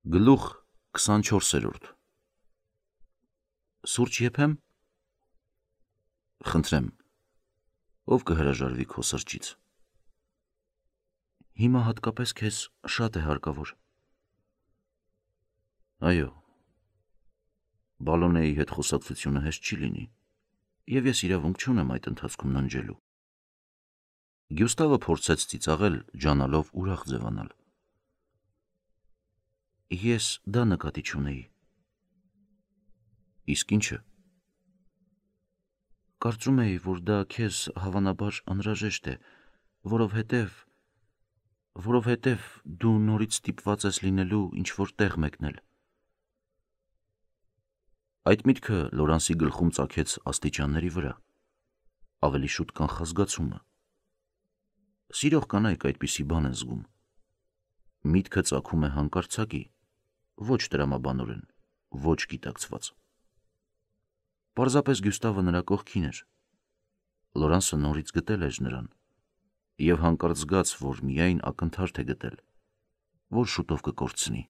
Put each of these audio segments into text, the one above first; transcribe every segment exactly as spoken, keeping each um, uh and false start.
Գլուխ քսանչորսերորդ Սուրճ եփեմ, խնդրեմ, ով կհրաժարվի քո սրճից։ Հիմա հատկապես քեզ շատ է հարկավոր։ Այո, Բալոնեի հետ խոսակցությունը հեշտ չի լինի, և ես իրավունք չունեմ այդ ընթացքում ննջելու։ Գյուստավը փորձեց ծիծաղել, ջանալով ուրախ ձևանալ։ Ես դա նկատի չունեի։ Իսկ ինչը։ Կարծում էի, որ դա քեզ հավանաբար անհրաժեշտ է, որովհետև, որովհետև դու նորից ստիպված ես լինելու ինչ-որ տեղ մեկնել։ Այդ միտքը Լորանսի գլխում ծագեց աստիճանների վրա, ավելի շուտ կանխազգացումը։ Սիրող կանայք այդպիսի բան են զգում։ Միտքը ծագում է հանկարծակի, ոչ տրամաբանորեն, ոչ գիտակցված։ Պարզապես Գյուստավը նրա կողքին էր։ Լորանսը նորից գտել էր նրան, և հանկարծ զգաց, որ միայն ակնթարթ է գտել, որ շուտով կկորցնի։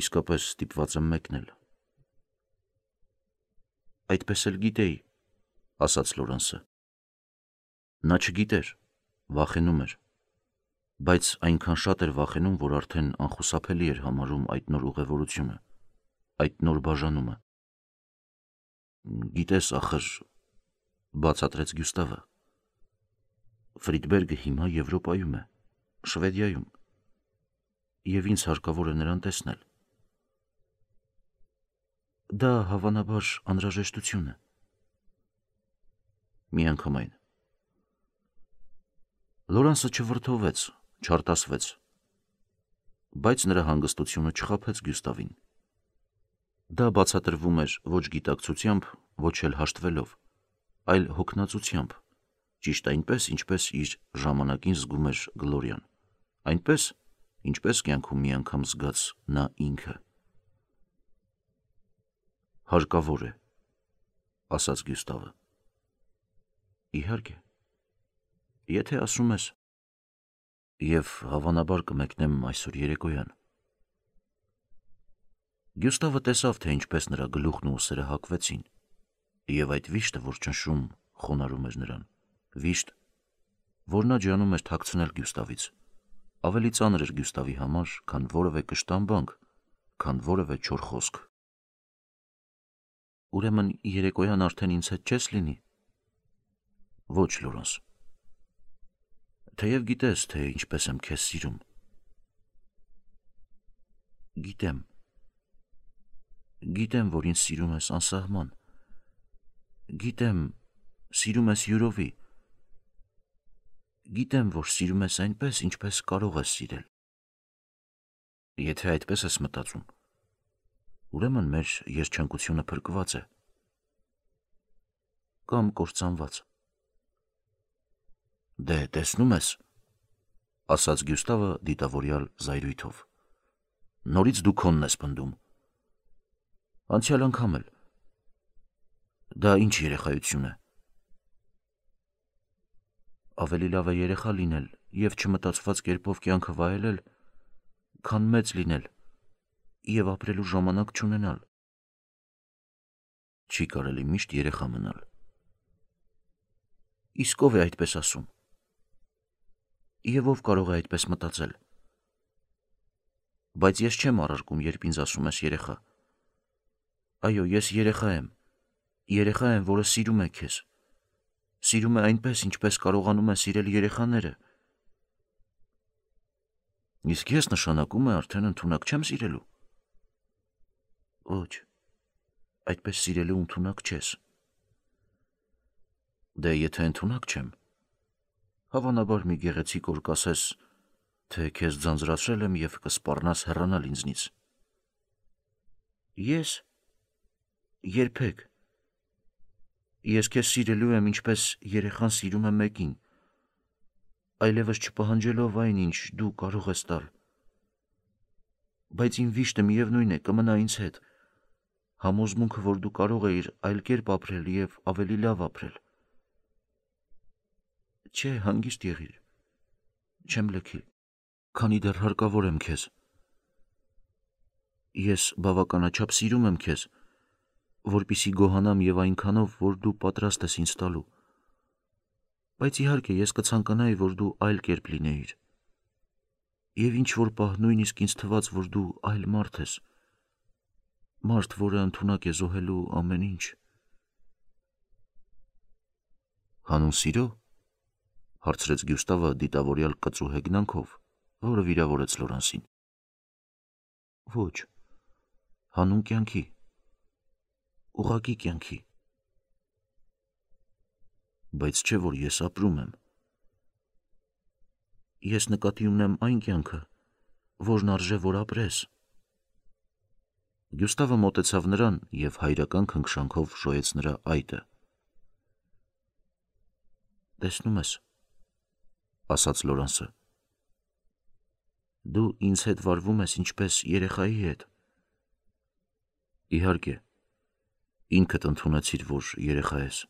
Իսկապես ստիպված եմ մեկնել։ Այդպես էլ գիտեի, ասաց Լորանսը։ Նա չգիտեր, վախենում էր, բայց այնքան շատ էր վախենում, որ արդեն անխուսափելի էր համարում այդ նոր ուղևորությունը, այդ նոր բաժանումը։ Գիտես, ախր, բացատրեց Գյուստավը, Ֆրիդբերգը հիմա Եվրոպայում է, Շվեդիայում, և ինձ հարկավոր է նրան տեսնել։ Դա հավանաբար անհրաժեշտություն է։ Միանգամայն։ Լորանսը չվրդովվեց, չարտասվեց, բայց նրա հանգստությունը չխաբեց Գյուստավին։ Դա բացատրվում էր ոչ գիտակցությամբ, ոչ էլ հաշտվելով, այլ հոգնածությամբ, ճիշտ այնպես, ինչպես իր ժամանակին զգում էր Գլորիան, այնպես, ինչպես կյանքում մի անգամ զգաց նա ինքը։ Հարկավոր է, ասաց Գյուստավը։ Իհարկե, եթե ասում ես, և հավանաբար կմեկնեմ այսօր երեկոյան։ Գյուստավը տեսավ, թե ինչպես նրա գլուխն ու ուսերը հակվեցին, և այդ վիշտը, որ ճնշում, խոնարհում էր նրան, վիշտ, որ նա ջանում էր թաքցնել Գյուստավից, ավելի ծանր էր Գյուստավի համար, քան որևէ կշտամբանք, քան որևէ չոր խոսք։ Ուրեմն երեկոյան արդեն ինձ հետ չես լինի։ Ոչ, Լորանս։ Թեև գիտես, թե ինչպես եմ քեզ սիրում։ Գիտեմ։ Գիտեմ, որ ինձ սիրում ես անսահման։ Գիտեմ, սիրում ես յուրովի։ Գիտեմ, որ սիրում ես այնպես, ինչպես կարող ես սիրել։ Եթե այդպես ես մտածում, ուրեմն մեր երջանկությունը փրկված է։ Կամ կործանված։ Դե, տեսնում ես, ասաց Գյուստավը դիտավորյալ զայրույթով։ Նորից դու քոնն ես պնդում։ Անցյալ անգամ էլ։ Դա ինչ երեխայություն է։ Ավելի լավ է երեխա լինել և չմտածված կերպով կյանքը վայելել, քան մեծ լինել և ապրելու ժամանակ չունենալ։ Չի կարելի միշտ երեխա մնալ։ Իսկ ով է այդպես ասում։ Եվ ով կարող է այդպես մտածել։ Բայց ես չեմ առարկում, երբ ինձ ասում ես երեխա։ Այո, ես երեխա եմ, երեխա եմ, որը սիրում է քեզ, սիրում է այնպես, ինչպես կարողանում է սիրել երեխաները։ Իսկ ես նշանակում է արդեն ընդունակ չեմ սիրելու։ Ոչ, այդպես սիրելու ընդունակ չես։ Դե եթե ընդունակ չեմ, հավանաբար մի գեղեցիկ օր կասես, թե քեզ ձանձրացրել եմ և կսպառնաս հեռանալ ինձնից։ Ես։ Երբեք։ Ես քեզ սիրելու եմ, ինչպես երեխան սիրում է մեկին, այլևս չպահանջելով այն, ինչ դու կարող ես տալ։ Բայց իմ վիշտը միևնույն է, կմնա ինձ հետ, համոզմունքը, որ դու կարող էիր այլ կերպ ապրել և ավելի լավ ապրել։ Չէ, հանգիստ եղիր, չեմ լքի, քանի դեռ հարկավոր եմ քեզ, Ես բավականաչափ սիրում եմ քեզ, որպիսի գոհանամ եւ այնքանով, որ դու պատրաստ ես ինձ տալու։ Բայց իհարկե ես կցանկանայի, որ դու այլ կերպ լինեիր։ Եվ ինչ որ պահ նույնիսկ ինձ թվաց, որ դու այլ մարդ ես։ Մարդ, որը ընդունակ է զոհելու ամեն ինչ։ Հանուն սիրո, հարցրեց Գյուստավը դիտավորյալ կծու հեգնանքով, որը վիրավորեց Լորանսին։ Ոչ, հանուն կյանքի, ուղղակի կյանքի։ Բայց չէ, որ ես ապրում եմ։ Ես նկատի ունեմ այն կյանքը, որն արժե, որ ապրես։ Գյուստավը մոտեցավ նրան և հայրական քնքշանքով շոյեց նրա այտը։ Տեսնում ես, ասաց Լորանսը, դու ինձ հետ վարվում ես ինչպես երեխայի հետ։ Իհարկե, ինքդ ընդունեցիր, որ երեխա ես։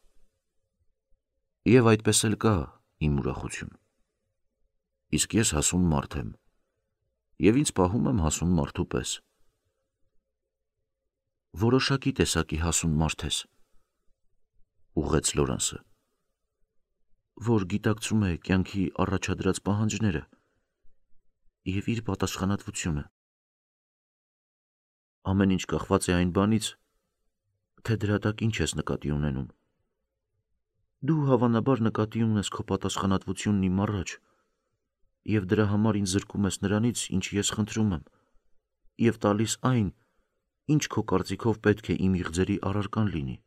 Եվ այդպես էլ կա իմ ուրախություն։ Իսկ ես հասուն մարդ եմ, և ինձ պահում եմ հասուն մարդու պես։ Որոշակի տեսակի հասուն մարդ ես, ուղղեց Լորանսը, որ գիտակցում է կյանքի առաջադրած պահանջները և իր պատասխանատվությունը։ Ամեն ինչ կախված է այն բանից, թե դրա տակ ինչ ես նկատի ունենում։ Դու հավանաբար նկատի ունես քո պատասխանատվությունն իմ առաջ, և դրա համար ինձ զրկում ես նրանից, ինչ ես խնդրում եմ, և տալիս այն, ինչ քո կարծիքով պետք է իմ իղձերի առարկան լինի.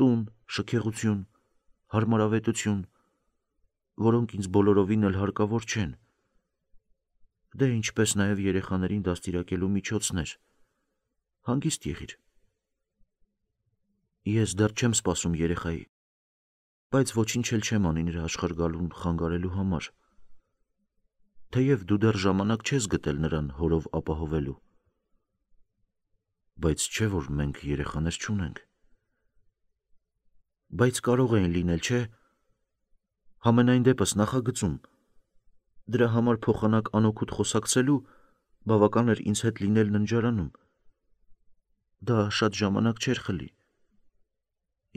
տուն, շքեղություն, հարմարավետություն, որոնք ինձ բոլորովին էլ հարկավոր չեն, դե ինչպես նաև երեխաներին դաստիարակելու միջոցներ։ Հանգիստ եղիր։ Ես դեռ չեմ սպասում երեխայի, բայց ոչինչ էլ չեմ անի նրա աշխարհ գալուն խանգարելու համար, թեև դու դեռ ժամանակ չես գտել նրան հորով ապահովելու։ Բայց չէ՞ որ մենք երեխաներ չունենք։ Բայց կարող էին լինել, չէ՞։ Համենայն դեպս նախագծում, դրա համար փոխանակ անօգուտ խոսակցելու բավական էր ինձ հետ լինել ննջարանում։ Դա շատ ժամանակ չէր խլի։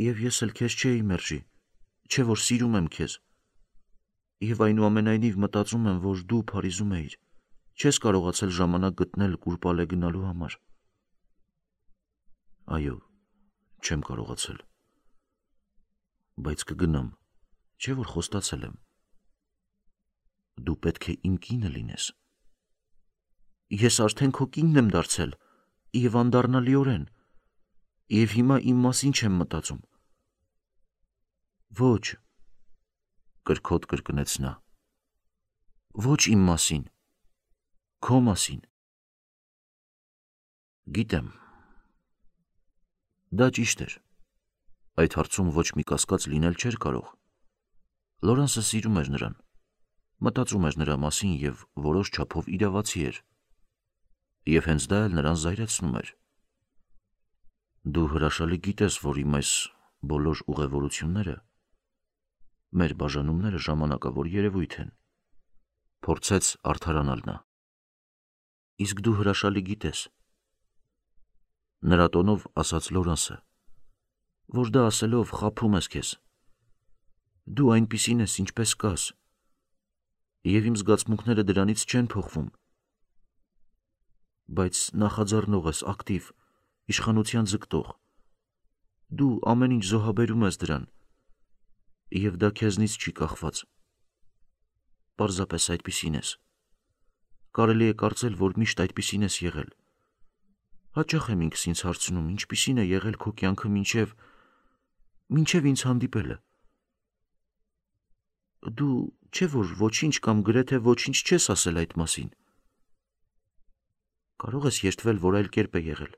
Եվ ես էլ քեզ չէի մերժի, չէ՞ որ սիրում եմ քեզ։ Եվ այնուամենայնիվ մտածում եմ, որ դու Փարիզում էիր, չես կարողացել ժամանակ գտնել Կուրպալե գնալու համար։ Այո, չեմ կարողացել։ Բայց կգնամ, չէ՞ որ խոստացել եմ։ Դու պետք է իմ կինը լինես։ Ես արդեն քո կինն եմ դարձել, և անդառնալիորեն, և հիմա իմ մասին չեմ մտածում։ Ոչ, կրքոտ կրկնեց նա, ոչ իմ մասին, քո մասին։ Գիտեմ։ Դա ճիշտ էր։ Այդ հարցում ոչ մի կասկած լինել չէր կարող։ Լորանսը սիրում էր նրան, մտածում էր նրա մասին և որոշ չափով իրավացի էր։ Եվ հենց դա էլ նրան զայրացնում էր։ Դու հրաշալի գիտես, որ իմ այս բոլոր ուղևորությունները, մեր բաժանումները ժամանակավոր երևույթ են, փորձեց արդարանալ նա։ Իսկ դու հրաշալի գիտես, նրա տոնով ասաց Լորանսը, որ դա ասելով խաբում ես քեզ։ Դու այնպիսին ես, ինչպես կաս, և իմ զգացմունքները դրանից չեն փոխվում։ Բայց նախաձեռնող ես, ակտիվ, իշխանության ձգտող։ Դու ամեն ինչ զոհաբերում ես դրան, և դա քեզնից չի կախված։ Պարզապես այդպիսին ես։ Կարելի է կարծել, որ միշտ այդպիսին ես եղել։ Հաճախ եմ ինքս ինձ հարցնում, ինչպիսին է եղել քո կյանքը մինչև, մինչև ինձ հանդիպելը։ Դու չէ՞ որ ոչինչ կամ գրեթե ոչինչ չես ասել այդ մասին։ Կարող ես երդվել, որ այլ կերպ է եղել։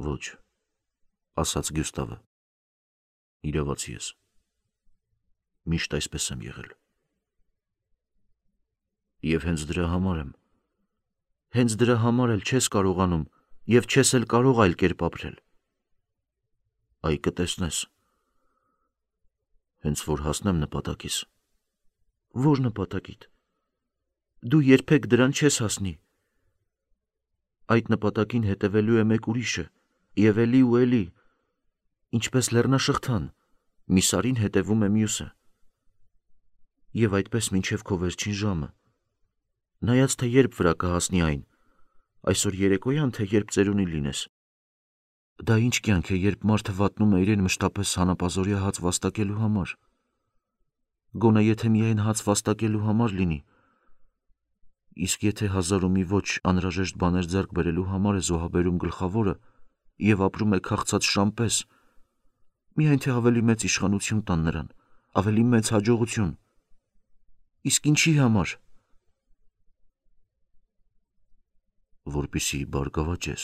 Ոչ, ասաց Գյուստավը, իրավացի ես։ Միշտ այսպես եմ եղել։ Եվ հենց դրա համար եմ, հենց դրա համար էլ չես կարողանում և չես էլ կարող այլ կերպ ապրել։ Այ կտեսնես, հենց որ հասնեմ նպատակիս։ Որ նպատակիդ։ Դու երբեք դրան չես հասնի։ Այդ նպատակին հետևելու է մեկ ուրիշը, եւ էլի ու էլի, ինչպես լեռնաշղթան, մի սարին հետևում է մյուսը։ Եվ այդպես մինչև քո վերջին ժամը, նայած թե երբ վրա կհասնի այն, այսօր երեկոյան, թե երբ ծերունի լինես։ Դա ինչ կյանք է, երբ մարդը վատնում է իրեն մշտապես հանապազօրյա հաց վաստակելու համար։ Գոնե եթե միայն հաց վաստակելու համար լինի, իսկ եթե հազար ու մի ոչ անհրաժեշտ բաներ ձեռք բերելու համար է զոհաբերում գլխավորը եւ ապրում է քաղցած շամպես, միայն թե ավելի մեծ իշխանություն տան նրան, ավելի մեծ հաջողություն։ Իսկ ինչի համար։ Որպեսզի բարգավաճես։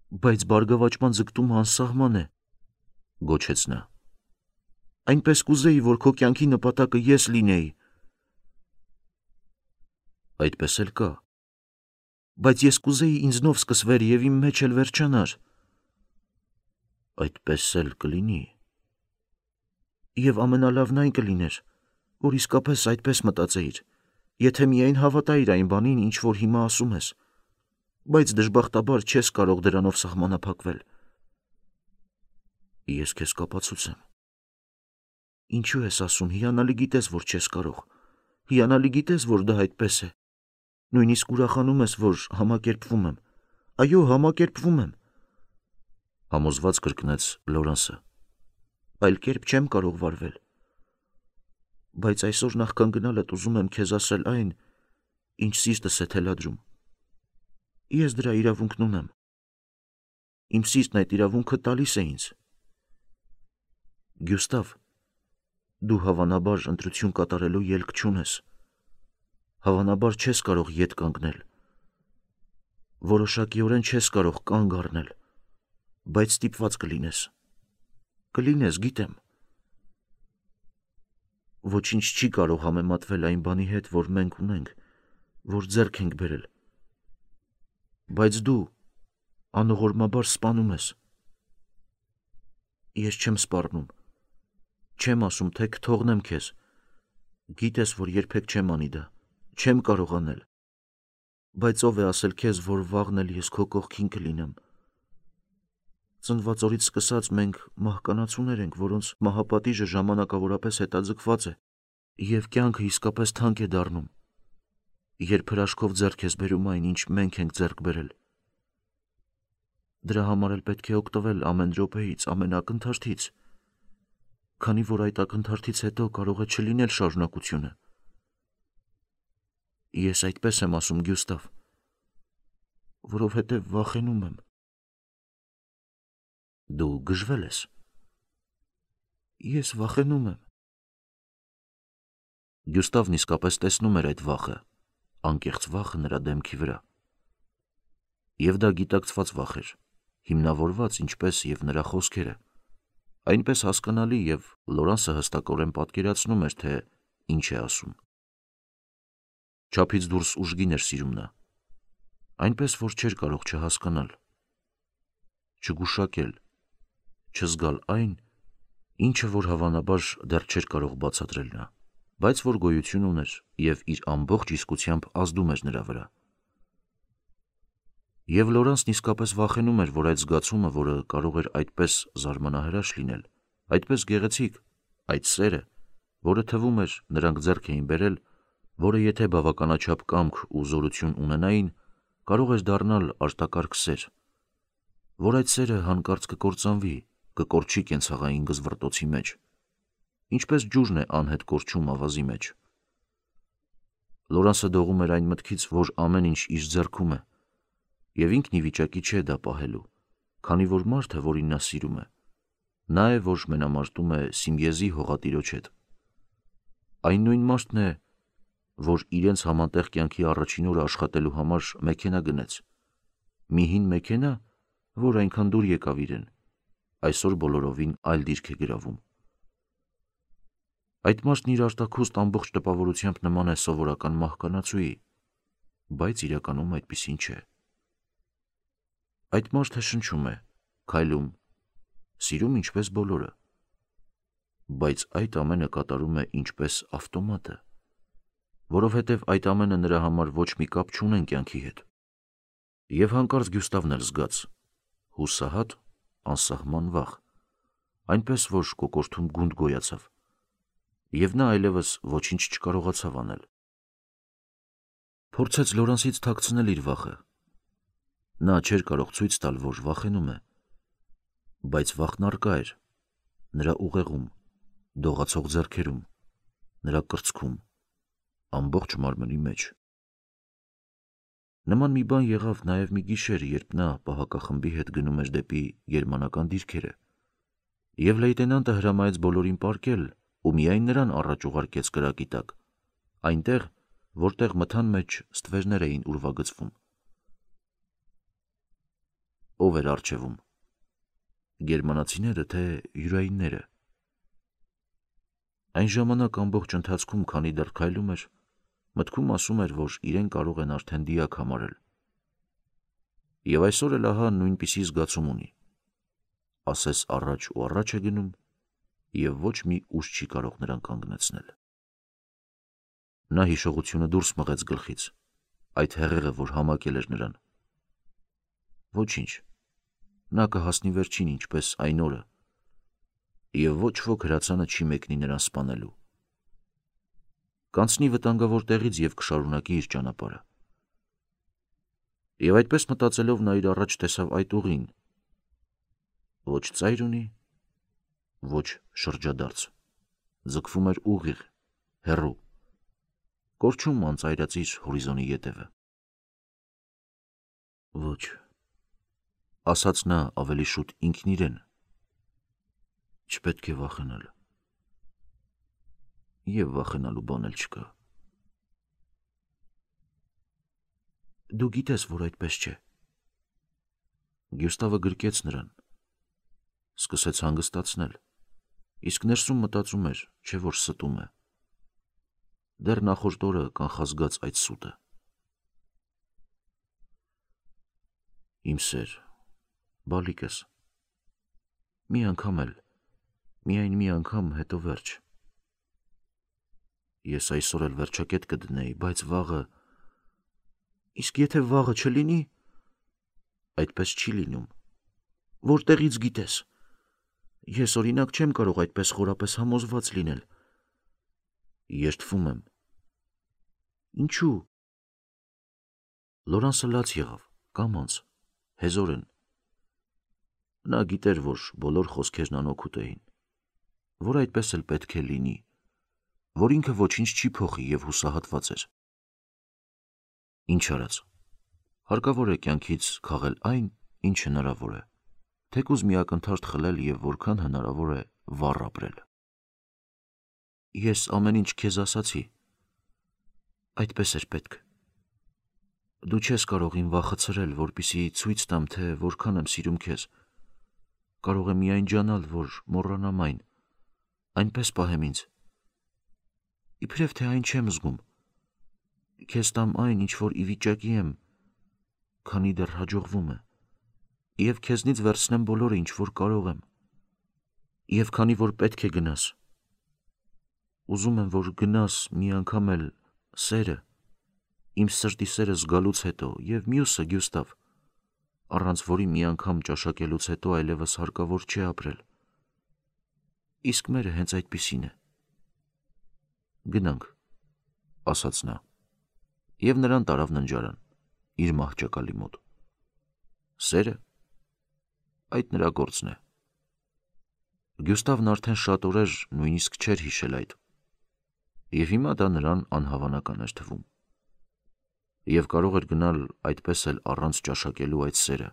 Բայց բարգավաճման ձգտումը անսահման է, գոչեց նա։ Այնպես կուզեի, որ քո կյանքի նպատակը ես լինեի։ Այդպես էլ կա։ Բայց ես կուզեի ինձնով սկսվեր եւ իմ մեջ էլ վերջանար։ Այդպես էլ կլինի։ Եվ ամենալավն այն կլիներ, որ իսկապես այդպես մտածեիր, եթե միայն հավատայիր այն բանին, ինչ որ հիմա ասում ես, բայց դժբախտաբար չես կարող դրանով սահմանափակվել։ Ես քեզ կապացուցեմ։ Ինչու ես ասում, հիանալի գիտես, որ չես կարող։ Հիանալի գիտես, որ դա այդպես է։ Նույնիսկ ուրախանում ես, որ համակերպվում եմ։ Այո, համակերպվում եմ։ Համոզված կրկնեց Լորանսը։ Այլ կերպ չեմ կարող վարվել։ Բայց այսօր նախքան գնալդ ուզում եմ քեզ ասել այն, ինչ սիրտս է թելադրում։ Ես դրա իրավունքն ունեմ։ Իմ սիրտն այդ իրավունքը տալիս է ինձ։ Գյուստավ, դու հավանաբար ընտրություն կատարելու ելք չունես։ Հավանաբար չես կարող ետ կանգնել։ Որոշակիորեն չես կարող կանգ առնել, բայց ստիպված կլինես։ Կլինես, գիտեմ։ Ոչինչ չի կարող համեմատվել այն բանի հետ, որ մենք ունենք, որ ձեռք ենք բերել։ Բայց դու անողորմաբար սպանում ես։ Ես չեմ սպառնում։ Չեմ ասում, թե կթողնեմ քեզ։ Գիտես, որ երբեք չեմ անի դա։ Չեմ կարող անել։ Բայց ով է ասել քեզ, որ վաղն էլ ես քո կողքին կլինեմ։ Ծնված օրից սկսած մենք մահկանացուներ ենք, որոնց մահապատիժը ժամանակավորապես հետաձգված է, եւ կյանքը իսկապես թանկ է դառնում, երբ հրաշքով ձեռք ես բերում այն, ինչ մենք ենք ձեռք բերել։ Դրա համար էլ պետք է օգտվել ամեն րոպեից, ամեն ակնթարթից, քանի որ այդ ակնթարթից հետո կարող է չլինել շարունակությունը։ Ես այդպես եմ ասում, Գյուստավ, որովհետև վախենում եմ։ Դու գժվել ես։ Ես վախենում եմ։ Գյուստավն իսկապես տեսնում էր այդ վախը, անկեղծ վախը նրա դեմքի վրա։ Եվ դա գիտակցված վախ էր, հիմնավորված ինչպես եւ նրա խոսքերը, այնպես հասկանալի եւ Լորանսը հստակորեն պատկերացնում էր, թե ինչ է ասում։ Չափից դուրս ուժգին էր սիրում նա, այնպես որ չէր կարող չհասկանալ, չգուշակել, չզգալ այն, ինչը որ հավանաբար դեռ չէր կարող բացատրել նա, բայց որ գոյություն ուներ եւ իր ամբողջ իսկությամբ ազդում էր նրա վրա։ Եվ Լորանսն իսկապես վախենում էր, որ այդ զգացումը, որը կարող էր այդպես զարմանահրաշ լինել, այդպես գեղեցիկ, այդ սերը, որը թվում էր նրանք ձեռք էին բերել, որը եթե բավականաչափ կամք ու զորություն ունենային, կարող էր դառնալ արտակարգ սեր, որ այդ սերը հանկարծ կկործանվի, կկորչի կենցաղային գզվռտոցի մեջ, ինչպես ջուրն է անհետ կորչում ավազի մեջ։ Լորանսը դողում էր այն մտքից, որ ամեն ինչ իր ձեռքում է, եւ ինքն ի վիճակի չէ դա պահելու, քանի որ մարդը, որին նա սիրում է, նա է, որ մենամարտում է Սիմեեզի հողատիրոջ հետ։ Այն նույն մարդն է, որ իրենց համատեղ կյանքի առաջին օրը աշխատելու համար մեքենա գնեց։ Մի հին մեքենա, որ այնքան դուր եկավ իրեն, այսօր բոլորովին այլ դիրք է գրավում։ Այդ մարդն իր արտաքուստ ամբողջ տպավորությամբ նման է սովորական մահկանացուի, բայց իրականում այդպիսին չէ։ Այդ մարդը շնչում է, քայլում, սիրում ինչպես բոլորը, բայց այդ ամենը կատարում է ինչպես ավտոմատը։ որովհետև այդ ամենը նրա համար ոչ մի կապ չունեն կյանքի հետ։ Եվ հանկարծ Գյուստավն էլ զգաց հուսահատ, անսահման վախ, այնպես որ կոկորդում գունդ գոյացավ, և նա այլևս ոչինչ չկարողացավ անել։ Փորձեց Լորանսից թաքցնել իր վախը։ Նա չէր կարող ցույց տալ, որ վախենում է, բայց վախն առկա էր նրա ուղեղում, դողացող ձեռքերում, նրա կրծքում, ամբողջ մարմնի մեջ։ Նման մի բան եղավ նաև մի գիշեր, երբ նա պահակախմբի հետ գնում էր դեպի գերմանական դիրքերը, և լեյտենանտը հրամայեց բոլորին պառկել ու միայն նրան առաջ ուղարկեց կրակի տակ, այնտեղ, որտեղ մթան մեջ ստվերներ էին ուրվագծվում։ Ո՞վ էր առջևում, գերմանացիները, թե յուրայինները։ Այն ժամանակ ամբողջ ընթացքում, քանի դեռ քայլում էր, մտքում ասում էր, որ իրեն կարող են արդեն դիակ համարել։ Եվ այսօր էլ ահա նույնպիսի զգացում ունի, ասես առաջ ու առաջ է գնում, և ոչ մի ուժ չի կարող նրան կանգնեցնել։ Նա հիշողությունը դուրս մղեց գլխից, այդ հեղեղը, որ համակել էր նրան։ Ոչինչ, նա կհասնի վերջին, ինչպես այն օրը, և ոչ ոք հրացանը չի մեկնի նրան սպանելու։ Կանցնի վտանգավոր տեղից և կշարունակի իր ճանապարհը։ Եվ այդպես մտածելով նա իր առաջ տեսավ այդ ուղին, ոչ ծայր ունի, ոչ շրջադարձ, ձգվում էր ուղիղ, հեռու, կորչում անծայրածիր հորիզոնի ետևը։ Ոչ, ասաց նա ավելի շուտ ինքն իրեն, չպետք է վախենալ, և վախենալու բան էլ չկա։ Դու գիտես, որ այդպես չէ։ Գյուստավը գրկեց նրան, սկսեց հանգստացնել, իսկ ներսում մտածում էր, չէ որ ստում է։ Դեռ նախորդ օրը կանխազգաց այդ սուտը։ Իմ սեր, բալիկս, մի անգամ էլ, միայն մի անգամ, հետո վերջ։ Ես այսօր էլ վերջակետ կդնեի, բայց վաղը… Իսկ եթե վաղը չլինի, այդպես չի լինում։ Որտեղից գիտես։ Ես օրինակ չեմ կարող այդպես խորապես համոզված լինել։ Երդվում եմ։ Ինչու՞։ Լորանսը լաց եղավ, կամաց, հեզորեն։ Նա գիտեր, որ բոլոր խոսքերն անօգուտ էին, որ այդպես էլ պետք է լինի, որ ինքը ոչինչ չի փոխի և հուսահատված էր։ Ինչ արած, հարկավոր է կյանքից քաղել այն, ինչ հնարավոր է, թեկուզ մի ակնթարթ խլել և որքան հնարավոր է վառ ապրել։ Ես ամեն ինչ քեզ ասացի։ Այդպես էր պետք։ Դու չես կարող իմ վախը ցրել, որպեսզի ցույց տամ, թե որքան եմ սիրում քեզ։ Կարող եմ միայն ջանալ, որ մոռանամ այն, այնպես պահեմ ինձ, իբրև թե այն չեմ զգում, քեզ տամ այն, ինչ որ ի վիճակի եմ, քանի դեռ հաջողվում է, և քեզնից վերցնեմ բոլորը, ինչ որ կարող եմ, և քանի որ պետք է գնաս։ Ուզում եմ, որ գնաս մի անգամ էլ սերը, իմ սրտի սերը զգալուց հետո, և մյուսը, Գյուստավ, առանց որի մի անգամ ճաշակելուց հետո այլևս հարկավոր չէ ապրել։ Իսկ մերը հենց այդպիսին է։ Գնանք, ասաց նա, և նրան տարավ ննջարան, իր մահճակալի մոտ։ Սերը, այդ նրա գործն է։ Գյուստավն արդեն շատ օրեր նույնիսկ չէր հիշել այդ, և հիմա դա նրան անհավանական էր թվում։ Եվ կարող էր գնալ այդպես էլ առանց ճաշակելու այդ սերը,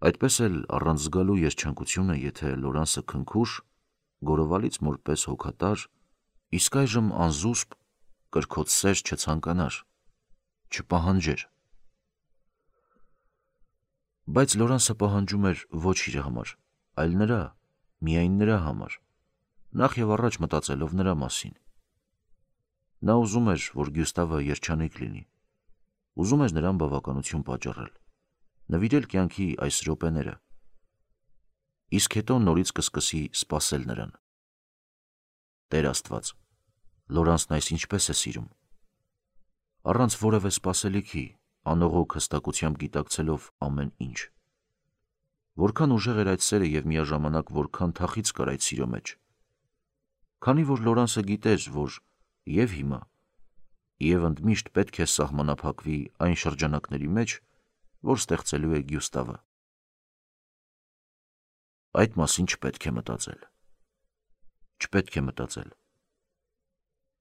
այդպես էլ առանց զգալու երջանկությունը, եթե Լորանսը քնքուշ, գորովալից մորպես հոգատար, իսկ այժմ անզուսպ, կրքոտ սեր չցանկանար, չպահանջեր։ Բայց Լորանսը պահանջում էր ոչ իր համար, այլ նրա, միայն նրա համար, նախ և առաջ մտածելով նրա մասին։ Նա ուզում էր, որ Գյուստավը երջանիկ լինի, ուզում էր նրան բավականություն պատճառել, նվիրել կյանքի այս րոպեները, իսկ հետո նորից կսկսի սպասել նրան։ Տեր Աստված, Լորանսն այս ինչպես է սիրում։ առանց որևէ սպասելիքի, անողոք հստակությամբ գիտակցելով ամեն ինչ։ Որքան ուժեղ էր այդ սերը և միաժամանակ որքան թախիծ կար այդ սիրո մեջ։ Քանի որ Լորանսը գիտեր, որ և հիմա, և ընդմիշտ պետք է սահմանափակվի այն շրջանակների մեջ, որ ստեղծելու է Գյուստավը։ Այդ մասին չպետք է մտածել։ Չպետք է մտածել։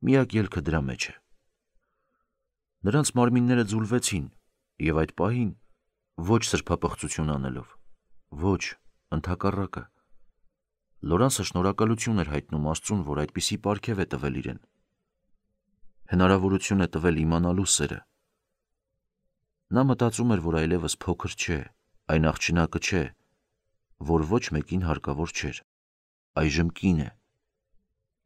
Միակ ելքը դրա մեջ է։ Նրանց մարմինները ձուլվեցին, և այդ պահին ոչ սրբապղծություն անելով, ոչ, ընդհակառակը, Լորանսը շնորհակալություն էր հայտնում Աստծուն, որ այդպիսի պարգև է տվել իրեն։ Հնարավորություն է տվել իմանալու սերը։ Նա մտածում էր, որ այլևս փոքր չէ, այն աղջնակը չէ, որ ոչ մեկին հարկավոր չէր, այժմ կին է,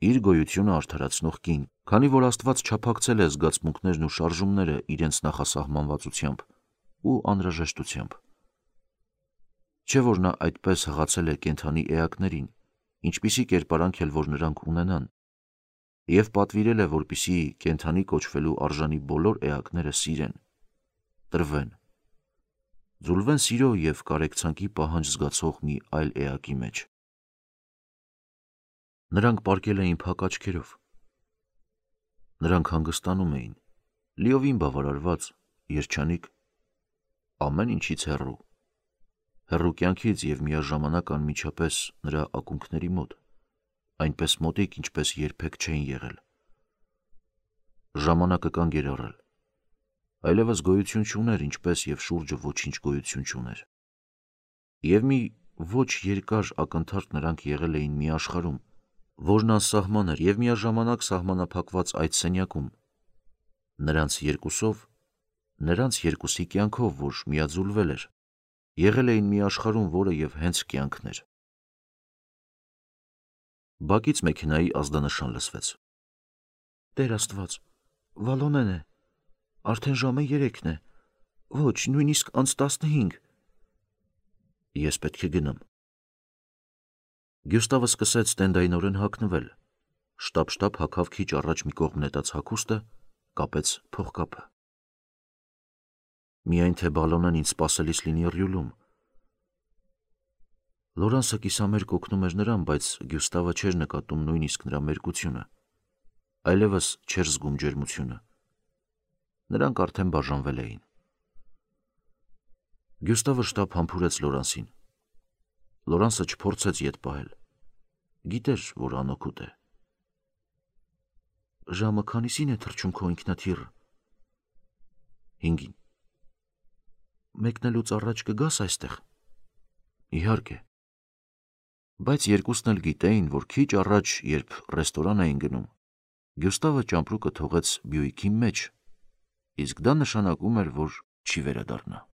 իր գոյությունը արդարացնող կին, քանի որ Աստված չափակցել է զգացմունքներն ու շարժումները իրենց նախասահմանվածությամբ ու անհրաժեշտությամբ։ Չէ՞ որ նա այդպես հղացել է կենդանի էակներին, ինչպիսի կերպարանք էլ որ նրանք ունենան, և պատվիրել է, որպեսզի կենդանի կոչվելու արժանի բոլոր էակները սիրեն, տրվեն, ձուլվեն սիրո և կարեկցանքի պահանջ զգացող մի այլ էակի մեջ։ Նրանք պառկել էին փակ աչքերով։ Նրանք հանգստանում էին, լիովին բավարարված, երջանիկ, ամեն ինչից հեռու, հեռու կյանքից և միաժամանակ անմիջապես նրա ակունքների մոտ, այնպես մոտիկ, ինչպես երբեք չէին եղել։ Ժամանակը կանգ էր առել, այլևս գոյություն չուներ, ինչպես և շուրջը ոչինչ գոյություն չուներ։ Եվ մի ոչ երկար ակնթարթ նրանք եղել էին մի աշխարհում, որն անսահման էր և միաժամանակ սահմանափակված այդ սենյակում, նրանց երկուսով, նրանց երկուսի կյանքով, որ միաձուլվել էր, եղել էին մի աշխարհում, որը և հենց կյանքն էր։ Բակից մեքենայի ազդանշան լսվեց։ Տեր Աստված, Վալոմեն է, արդեն ժամը երեքն է, ոչ, նույնիսկ անց տասնհինգ։ Ես պետք է գնամ։ Գյուստավը սկսեց տենդայնորեն հագնվել, շտապ-շտապ հագավ քիչ առաջ մի կողմ նետած հագուստը, կապեց փողկապը։ Միայն թե Բալոնեն ինձ սպասելիս լինի Ռյուլում։ Լորանսը կիսամերկ օգնում էր նրան, բայց Գյուստավը չէր նկատում նույնիսկ նրա մերկությունը, այլևս չէր զգում ջերմությունը։ Նրանք արդեն բաժանվել էին։ Գյուստավը շտապ համբուրեց Լորանսին։ Լորանսը չփորձեց ետ պահել։ Գիտեր, որ անօգուտ է։ Ժամը քանիսին է թռչում քո ինքնաթիռը։ Հինգին։ Մեկնելուց առաջ կգաս այստեղ։ Իհարկե։ Բայց երկուսն էլ գիտեին, որ քիչ առաջ, երբ ռեստորան էին գնում, Գյուստավը ճամպրուկը թողեց Բյուիկի մեջ, իսկ դա նշանակում էր, որ չի վերադառնա։